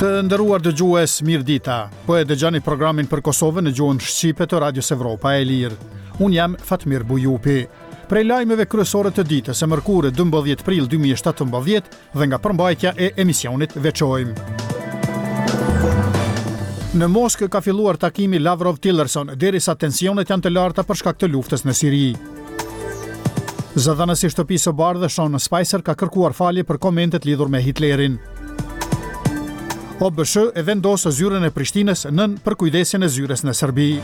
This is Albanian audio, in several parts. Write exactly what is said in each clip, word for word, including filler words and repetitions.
Të nderuar dëgjues, mirë dita. Po e dëgjoni programin për Kosovën në gjuhën shqipe të Radios Evropa e Lirë. Unë jam Fatmir Bujupi. Prej lajmeve kryesore të ditës së mërkurë dymbëdhjetë prill dy mijë e shtatëmbëdhjetë dhe nga përmbajtja e emisionit veçojmë. Në Moskë ka filluar takimi Lavrov-Tillerson, derisa tensionet janë të larta për shkak të luftës në Siri. Zëdhënësi i Shtëpisë së Bardhë Sean Spicer ka kërkuar falje për komentet lidhur me Hitlerin. O B S e vendos zyrën e Prishtinës nën përkujdesjen e zyrës në Serbi.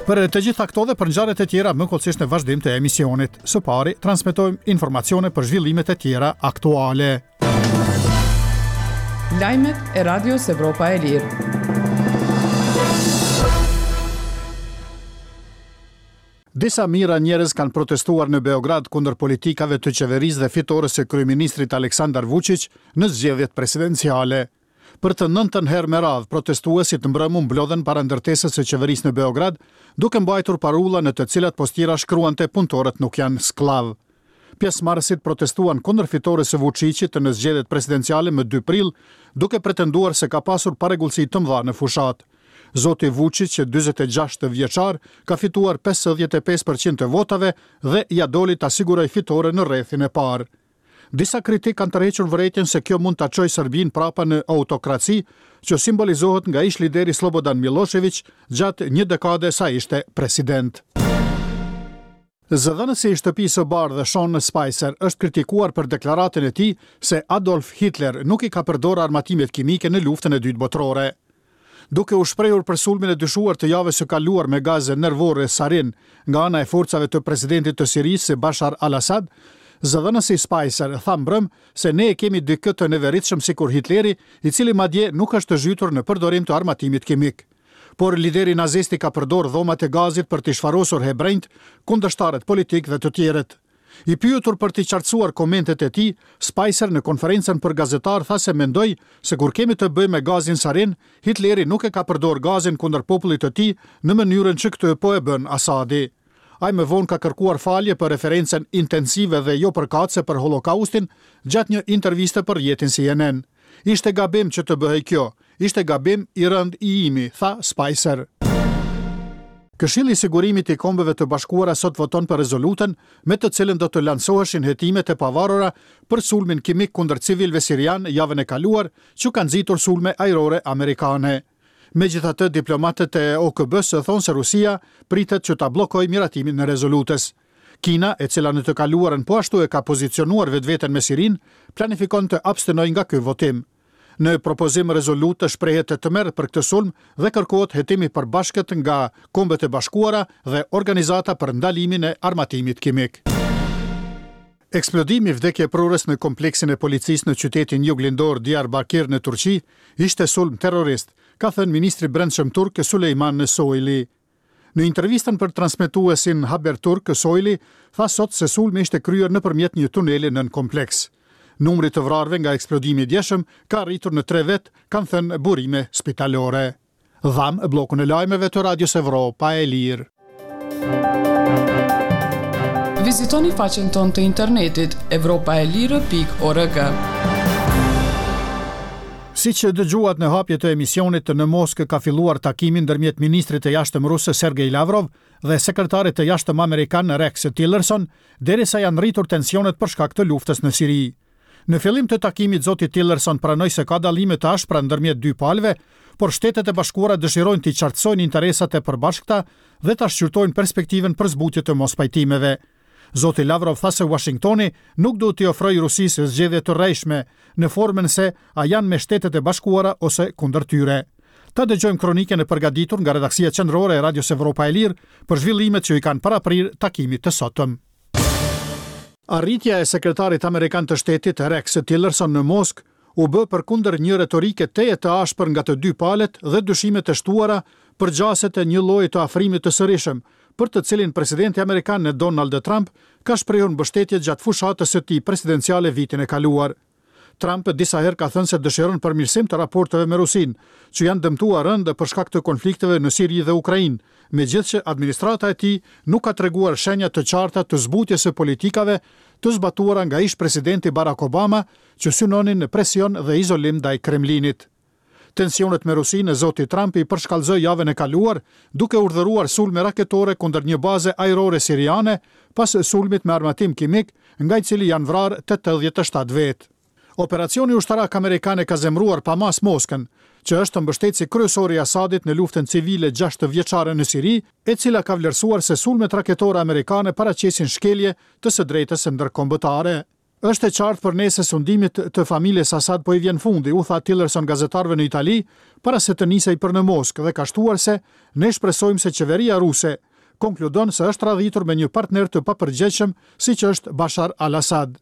Për të gjitha këto dhe për ngjarjet e tjera më hollësisht në vazhdim të emisionit. Së pari, transmetojmë informacione për zhvillimet e tjera aktuale. Lajmet e Radios Evropa e Lirë. Disa mijëra njerëz kanë protestuar në Beograd kundër politikave të qeverisë dhe fitores së kryeministrit Aleksandar Vučić në zgjedhjet presidenciale. Për të nëntën herë me radhë, protestuesit mbrëmë u mblodhen para ndërtesës së qeverisë në Beograd, duke mbajtur parulla në të cilat postira shkruante punëtorët nuk janë skllav. Pjesëmarrësit protestuan kundër fitores së Vučićit në zgjedhjet presidenciale më dy prill, duke pretenduar se ka pasur parregullsi të mëdha në fushat. Zoti Vučić, dyzet e gjashtë vjeçar, ka fituar pesëdhjetë e pesë përqind të votave dhe ia doli ta sigurojë fitoren në rrethin e parë. Disa kritikë kanë tërhequr vërejtjen se kjo mund ta çojë Serbinë prapa në autokraci, që simbolizohet nga ish lideri Slobodan Milošević gjatë një dekade sa ishte president. Zëdhënësi i Shtëpisë së Bardhë Sean Spicer është kritikuar për deklaratën e tij se Adolf Hitler nuk i ka përdorur armatimet kimike në luftën e dytë botërore. Duke u shprehur për sulmin e dyshuar të javës së kaluar me gaze nervore sarin nga ana e forcave të presidentit të Sirisë Bashar al-Assad, zëdhënësi Spicer tha mbrëm se ne e kemi dikë të neveritshëm sikur Hitleri, i cili madje nuk është zhytur në përdorim të armatimit kimik. Por lideri nazist i ka përdorur dhomat e gazit për t'i shfarosur hebrejt, kundërshtarët politik dhe të tjerët. I pyetur për t'i qartësuar komentet e tij, Spicer në konferencën për gazetar tha se mendoi se kur kemi të bëjmë me gazin sarin, Hitleri nuk e ka përdorur gazin kundër popullit të tij në mënyrën që këtë po e bën Asadi. Ai më vonë ka kërkuar falje për referencën intensive dhe jo përkatëse për Holokaustin gjatë një interviste për rrjetin C N N. Ishte gabim që të bëhej kjo, ishte gabim i rënd i imi, tha Spicer. Këshilli i Sigurimit i Kombeve të Bashkuara sot voton për rezolutën me të cilën do të lansoheshin hetimet e pavarura për sulmin kimik kundër civilëve sirian javën e kaluar, që ka nxitur sulme ajrore amerikane. Megjithatë, diplomatët e O K B-së thonë se Rusia pritet që ta bllokojë miratimin e rezolutës. Kina, e cila në të kaluarën po ashtu e ka pozicionuar vetveten me Sirinë, planifikon të abstenojë nga ky votim. Në propozim rezolutë shprehet të tmerr për këtë sulm dhe kërkohet hetim i përbashkët nga Kombet e Bashkuara dhe Organizata për Ndalimin e Armatimit Kimik. Eksplodimi vdekjeprurës në kompleksin e policisë në qytetin juglindor Diyarbakir në Turqi ishte sulm terrorist, ka thënë ministri i Brendshëm turk Sulejman Soylu. Në intervistën për transmetuesin Haber Turk, Soylu tha sot se sulmi ishte kryer nëpërmjet një tuneli nën kompleks. Numri të vrarëve nga eksplodimi i djeshëm ka arritur në tre vet, kanë thënë burime spitalore. Dham bllokun e lajmeve të Radios Evropa e Lirë. Vizitoni faqen tonë të internetit evropa e lirë pikë org. Si që dëgjuat në hapje të emisionit, në Moskë ka filluar takimi ndërmjet ministrit të jashtëm rus Sergej Lavrov dhe sekretarit të jashtëm amerikan Rex Tillerson, derisa janë rritur tensionet për shkak të luftës në Siri. Në fillim të takimit, zoti Tillerson pranoi se ka dallime të ashpra ndërmjet dy palëve, por Shtetet e Bashkuara dëshirojnë t'i qartësojnë interesat e përbashkëta dhe ta shqyrtojnë perspektivën për zbutje të mospajtimeve. Zoti Lavrov tha se Washingtoni nuk duhet t'i ofrojë Rusisë zgjedhje të rrejshme në formën se a janë me Shtetet e Bashkuara ose kundër tyre. Ta dëgjojmë kronikën e përgatitur nga redaksia qendrore e Radios Evropa e Lirë për zhvillimet që i kanë paraprirë takimit të sotëm. Arritja e sekretarit amerikan të shtetit Rex Tillerson në Moskë u bë përkundër një retorike tejet të ashpër nga të dy palët dhe dyshimet e shtuara për gjaset e një lloji të afrimit të sërishëm, për të cilin presidenti amerikan Donald Trump ka shprehur mbështetje gjatë fushatës së tij presidenciale vitin e kaluar. Trump disa herë ka thënë se dëshiron përmirësim të raporteve me Rusinë, që janë dëmtuar rëndë për shkak të konflikteve në Siri dhe Ukrainë, megjithëse administrata e tij nuk ka treguar shenja të qarta të zbutjes së politikave të zbatuara nga ish presidenti Barack Obama, që synonin në presion dhe izolim ndaj Kremlinit. Tensionet me Rusinë zoti Trump i përshkallëzoi javën e kaluar, duke urdhëruar sulme raketore kundër një baze ajrore siriane pas sulmit me armatim kimik, nga i cili janë vrarë tetëdhjetë e shtatë vetë. Operacioni ushtarak amerikan e ka zemëruar pa mas Moskën, që është mbështetësi kryesor i Asadit në luftën civile gjashtëvjeçare në Siri, e cila ka vlerësuar se sulmet raketore amerikane paraqesin shkelje të së drejtës ndërkombëtare. Është e qartë për ne se sundimit të familjes Assad po i vjen fundi, u tha Tillerson gazetarëve në Itali, para se të nisej për në Moskë dhe ka shtuar se ne shpresojmë se qeveria ruse konkludon se është radhitur me një partner të papërgjegjshëm siç është Bashar al-Assad.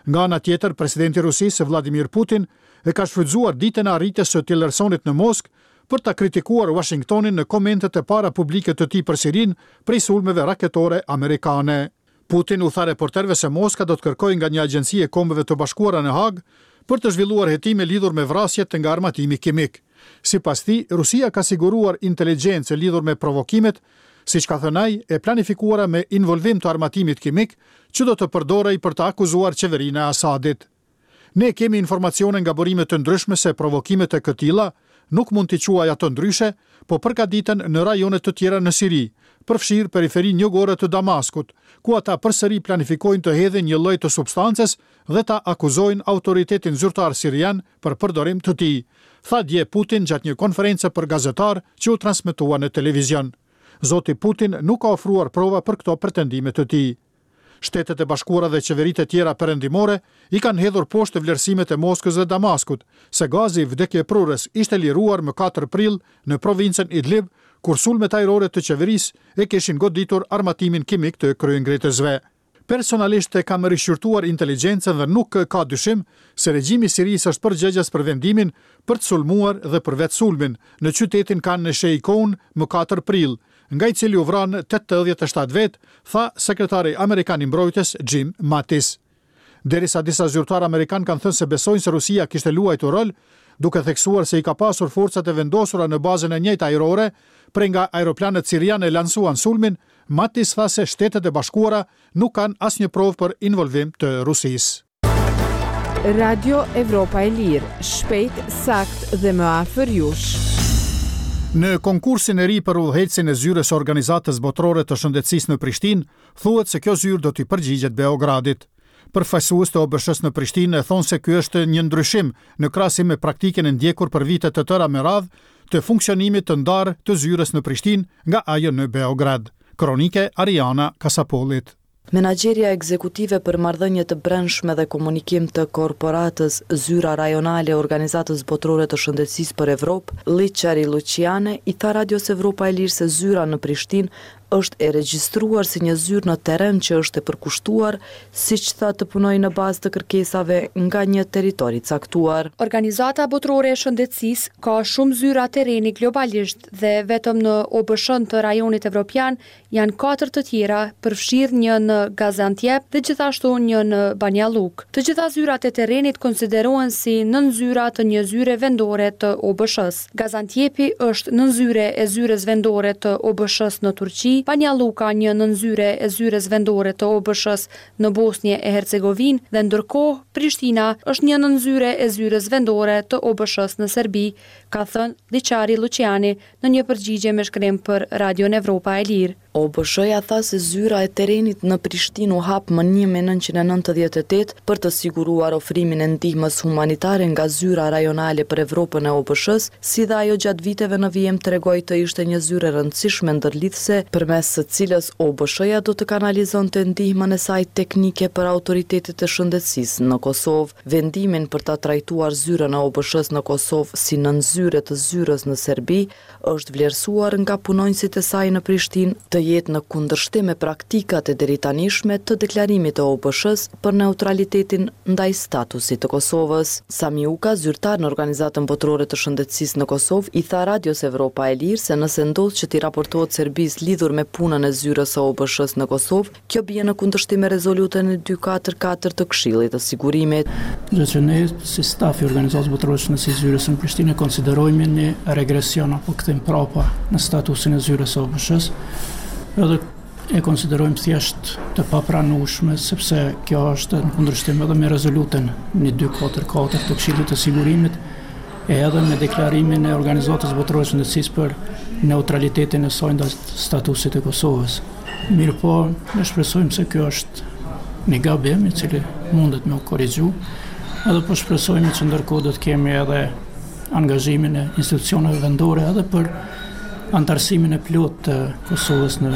Nga ana tjetër, presidenti i Rusisë Vladimir Putin e ka shfrytzuar ditën e arritjes së Tillersonit në Moskë për ta kritikuar Washingtonin në komentet e para publike të tij për Sirinë prej sulmeve raketore amerikane. Putin u tha reporterëve se Moska do të kërkojë nga një agjenci e Kombeve të Bashkuara në Hagë për të zhvilluar hetime lidhur me vrasjet nga armatimi kimik. Sipas tij, Rusia ka siguruar inteligjencë lidhur me provokimet, siç ka thënë ai, e planifikuara me involvim të armatimit kimik, që do të përdorej për të akuzuar qeverinë e Asadit. Ne kemi informacione nga burime të ndryshme se provokimet e këtilla nuk mund t'i quaj ato ndryshe, po përgatiten në rajone të tjera në Siri, përfshirë periferinë jugore të Damaskut, ku ata përsëri planifikojnë të hedhin një lloj të substancës dhe ta akuzojnë autoritetin zyrtar sirian për përdorim të tij, tha dje Putin gjatë një konference për gazetar që u transmetua në televizion. Zoti Putin nuk ka ofruar prova për këto pretendime të tij. Shtetet e Bashkuara dhe qeveritë e tjera perëndimore i kanë hedhur poshtë vlerësimet e Moskës dhe Damaskut se gazi vdekjeprurës ishte liruar më katër prill në provincën Idlib, kur sulmet ajrore të qeverisë e kishin goditur armatimin kimik të kryengritësve. Personalisht e kam rishqyrtuar inteligjencën dhe nuk ka dyshim se regjimi i Sirisë është përgjegjës për vendimin për të sulmuar dhe për vetë sulmin në qytetin Khan Sheikhoun më katër prill, nga i cili u vranë tetëdhjetë e shtatë vetë, tha sekretari amerikan i mbrojtjes Jim Mattis. Derisa disa zyrtarë amerikan kanë thënë se besojnë se Rusia kishte luajtur rol, duke theksuar se i ka pasur forcat e vendosura në bazën e njëjtë ajrore, prej nga aeroplanët siriane lansuan sulmin, Mattis tha se Shtetet e Bashkuara nuk kanë asnjë provë për involvim të Rusisë. Radio Evropa e Lirë, shpejt, sakt dhe më afër jush. Në konkursin e ri për udhëheqësin e zyrës së Organizatës Botërore të Shëndetësisë në Prishtinë, thuhet se kjo zyrë do t'i përgjigjet Beogradit. Përfaqësues të O B S-s në Prishtinë thonë se ky është një ndryshim në krahasim me praktikën e ndjekur për vite të tëra me radhë të funksionimit të ndarë të zyrës në Prishtinë nga ajo në Beograd. Kronike Ariana Kasapolit. Menaxherja ekzekutive për marrëdhënie të brendshme dhe komunikim të korporatës Zyra Rajonale e Organizatës Botërore të Shëndetësisë për Evropë, Liçari Luciane, i tha Radios Evropa e Lirë se zyra në Prishtinë është e regjistruar si një zyrë në terren që është e përkushtuar, siç tha, të punojë në bazë të kërkesave nga një territor i caktuar. Organizata Botërore e Shëndetësisë ka shumë zyra terreni globalisht dhe vetëm në O B S-n të rajonit evropian janë katër të tjera, përfshirë një në Gaziantep dhe gjithashtu një në Banja Llukë. Të gjitha zyrat e terrenit konsiderohen si nënzyra të një zyre vendore të O B S-s. Gaziantepi është nënzyre e zyrës vendore të O B S-s në Turqi, Banja Lluka një nënzyre e zyrës vendore të O B S-s në Bosnjë e Hercegovinë dhe ndërkohë Prishtina është një nënzyre e zyrës vendore të O B S-s në Serbi, ka thënë Liçari Luciani në një përgjigje me shkrim për Radion Evropa e Lirë. O B S-ja tha se zyra e terrenit në Prishtinë u hap më një mijë e nëntëqind e nëntëdhjetë e tetë për të siguruar ofrimin e ndihmës humanitare nga zyra rajonale për Evropën e O B S-s, si dhe ajo gjatë viteve në vijim tregoi të ishte një zyrë e rëndësishme ndërlidhëse përmes së cilës O B S-ja do të kanalizonte ndihmën e saj teknike për autoritetet e shëndetësisë në Kosovë. Vendimin për ta trajtuar zyrën e O B S-s në Kosovë si nënzyre të zyrës në Serbi është vlerësuar nga punonjësit e saj në Prishtinë të të jetë në kundërshtim me praktikat e deritanishme të deklarimit të O B Sh-së për neutralitetin ndaj statusit të Kosovës. Sami Uka, zyrtar në Organizatën Botërore të Shëndetësisë në Kosovë, i tha Radios Evropa e Lirë se nëse ndodh që t'i raportohet Serbisë lidhur me punën e zyrës së O B Sh-së në Kosovë, kjo bie në kundërshtim me rezolutën e dyqind e dyzet e katër të Këshillit të Sigurimit. Gjë që ne si staf i Organizatës Botërore të Shëndetësisë zyrës në Prishtinë konsiderojmë një regresion apo kthim prapa në statusin e zyrës së O B Sh-së, edhe e konsiderojmë thjesht të papranueshme, sepse kjo është në kundërshtim edhe me rezolutën një mijë dyqind e dyzet e katër të Këshillit të Sigurimit e edhe me deklarimin e Organizatës Botërore të Shëndetësisë për neutralitetin e saj ndaj statusit të Kosovës. Mirëpo, ne shpresojmë se kjo është një gabim i cili mundet me u korrigju, edhe po shpresojmë që ndërkohë do të kemi edhe angazhimin e institucioneve vendore edhe për antarësimin e plotë të Kosovës në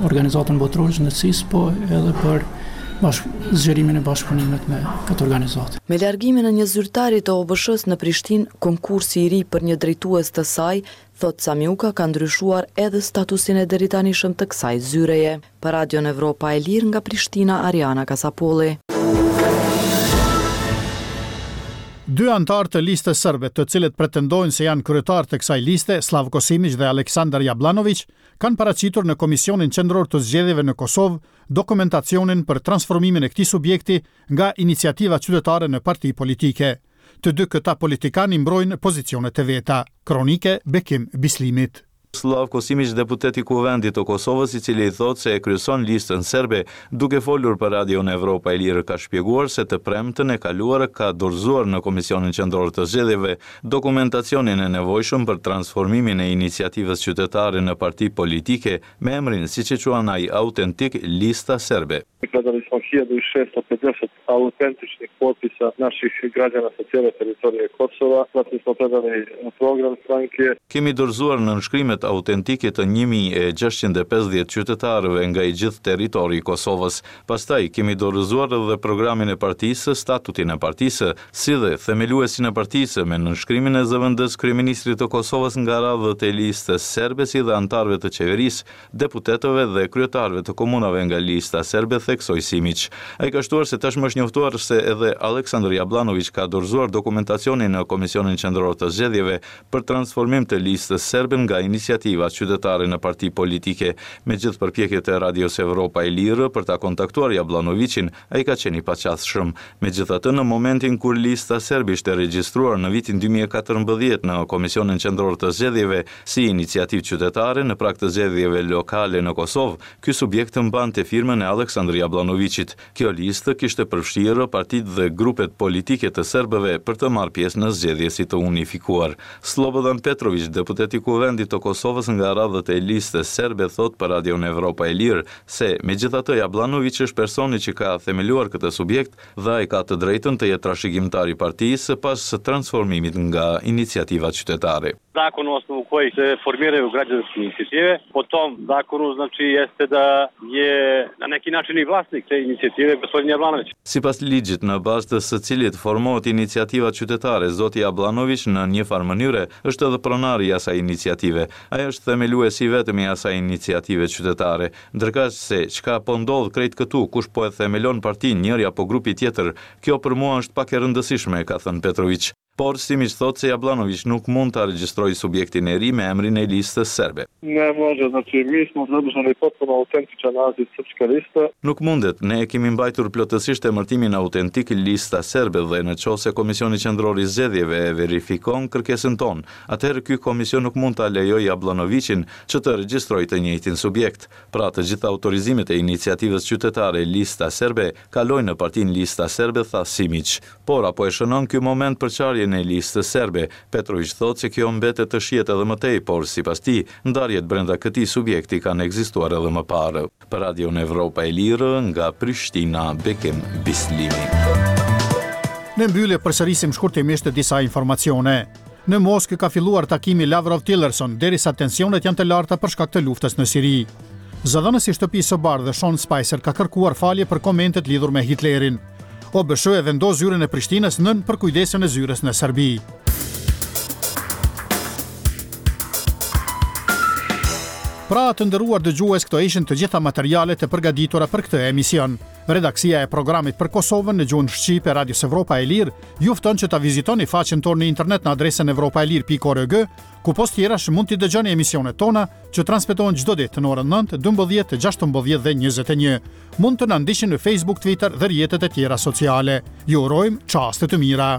Organizatën Botërore të Shëndetësisë, po edhe për bashk zgjerimin e bashkëpunimit me këtë organizatë. Me largimin e një zyrtari të O B Sh-së në Prishtinë, konkursi i ri për një drejtues të saj, thot Sami Uka, ka ndryshuar edhe statusin e deritanishëm të kësaj zyreje. Për Radion Evropa e Lirë nga Prishtina, Ariana Kasapolli. Dy antarë të listës serbe, të cilët pretendojnë se janë kryetar të kësaj liste, Slavko Simić dhe Aleksandar Jablanović, kanë paraqitur në Komisionin Qendror të Zgjedhjeve në Kosovë dokumentacionin për transformimin e këtij subjekti nga iniciativa qytetare në parti politike. Të dy këta politikanë i mbrojnë pozicionet e veta. Kronike Bekim Bislimit. Slavko Simić, deputet i Kuvendit të Kosovës, i cili thotë se e kryeson listën serbe, duke folur për Radion Evropa e Lirë, ka shpjeguar se të premten e kaluar ka dorëzuar në Komisionin Qendror të Zgjedhjeve dokumentacionin e nevojshëm për transformimin e iniciativës qytetare në parti politike me emrin, siç e quan ai, autentik Lista Serbe. Predali smo hiljadu šesto pedeset autentičnih potpisa naših građana sa cijele teritorije Kosova. Zatim smo predali program stranke. Kemi dorëzuar nënshkrimet autentike të një mijë e gjashtëqind e pesëdhjetë qytetarëve nga i gjithë territori i Kosovës. Pastaj kemi dorëzuar edhe programin e partisë, statutin e partisë, si dhe themeluesin e partisë me nënshkrimin e zëvendës kryeministrit të Kosovës nga radhët e listës serbe, si dhe anëtarëve të qeverisë, deputetëve dhe kryetarëve të komunave nga lista serbe, theksoi Simić. Ai ka shtuar se tashmë është njoftuar se edhe Aleksandr Jablanović ka dorëzuar dokumentacionin në Komisionin Qendror të Zgjedhjeve për transformim të listës serbe nga iniciativa qytetare në parti politike. Me gjithë përpjekjet e Radios Evropa e Lirë për ta kontaktuar Jablanovićin, ai ka qenë i paqasshëm. Megjithatë, në momentin kur lista serbe ishte regjistruar në vitin dy mijë e katërmbëdhjetë në Komisionin Qendror të Zgjedhjeve si iniciativë qytetare në prag të zgjedhjeve lokale në Kosovë, ky subjekt mbante firmën e Aleksandr Jablanovićit. Kjo listë kishte përfshirë partitë dhe grupet politike të serbëve për të marrë pjesë në zgjedhje si të unifikuar. Slobodan Petrović, deputet i Kuvendit të Kosovës nga radhët e listës serbe, thot për Radion Evropa e Lirë se megjithatë Jablanović është personi që ka themeluar këtë subjekt dhe ai ka të drejtën të jetë trashëgimtar i partisë pas transformimit nga iniciativa qytetare. Zakon na osnovu kojih se formiraju građanske inicijative, po tom zakonu, znači, jeste da je na neki način i vlasnik te inicijative gospodin Jablanović. Sipas ligjit në bazë të së cilit formohet iniciativa qytetare, zoti Jablanović në një farë mënyre është edhe pronari i asaj iniciative. Ai është themeluesi i vetëm i asaj iniciative qytetare. Ndërkaq se çka po ndodh krejt këtu, kush po e themelon partinë, njëri apo grupi tjetër, kjo për mua është pak e rëndësishme, ka thënë Petrović. Por Simić thotë se Jablanović nuk mund ta regjistrojë subjektin e ri me emrin e listës serbe. Ne može, znači mi smo zadržali potpuno autentičan naziv Srpska lista. Nuk mundet, ne e kemi mbajtur plotësisht emërtimin autentik Lista Serbe dhe në qoftë se Komisioni Qendror i Zgjedhjeve e verifikon kërkesën tonë, atëherë ky komision nuk mund ta lejojë Jablanovićin që të regjistrojë të njëjtin subjekt. Pra, të gjitha autorizimet e iniciativës qytetare Lista Serbe kalojnë në partinë Lista Serbe, tha Simić. Por apo e shënon ky moment përçarjen e listës serbe? Petrović thotë se kjo mbetet të shihet edhe më tej, por sipas tij, ndarjet brenda këtij subjekti kanë ekzistuar edhe më parë. Për Radion Evropa e Lirë, nga Prishtina, Bekim Bislimi. Në mbyllje përsërisim shkurtimisht disa informacione. Në Moskë ka filluar takimi Lavrov-Tillerson, derisa tensionet janë të larta për shkak të luftës në Siri. Zëdhënësi i Shtëpisë së Bardhë Sean Spicer ka kërkuar falje për komentet lidhur me Hitlerin. O B S H e vendos zyrën e Prishtinës nën përkujdesjen e zyrës në Serbi. Pra, të nderuar dëgjues, këto ishin të gjitha materialet e përgatitura për këtë emision. Redaksia e programit për Kosovën në gjuhën shqipe Radios Evropa e Lirë ju fton që ta vizitoni faqen tonë në internet në adresën evropaelire pikë org, ku pos tjerash mund t'i dëgjoni emisionet tona që transmetohen çdo ditë në orën nëntë, dymbëdhjetë, gjashtëmbëdhjetë dhe njëzet e një. Mund të na ndiqni në Facebook, Twitter dhe rrjetet e tjera sociale. Ju urojmë çaste të mira.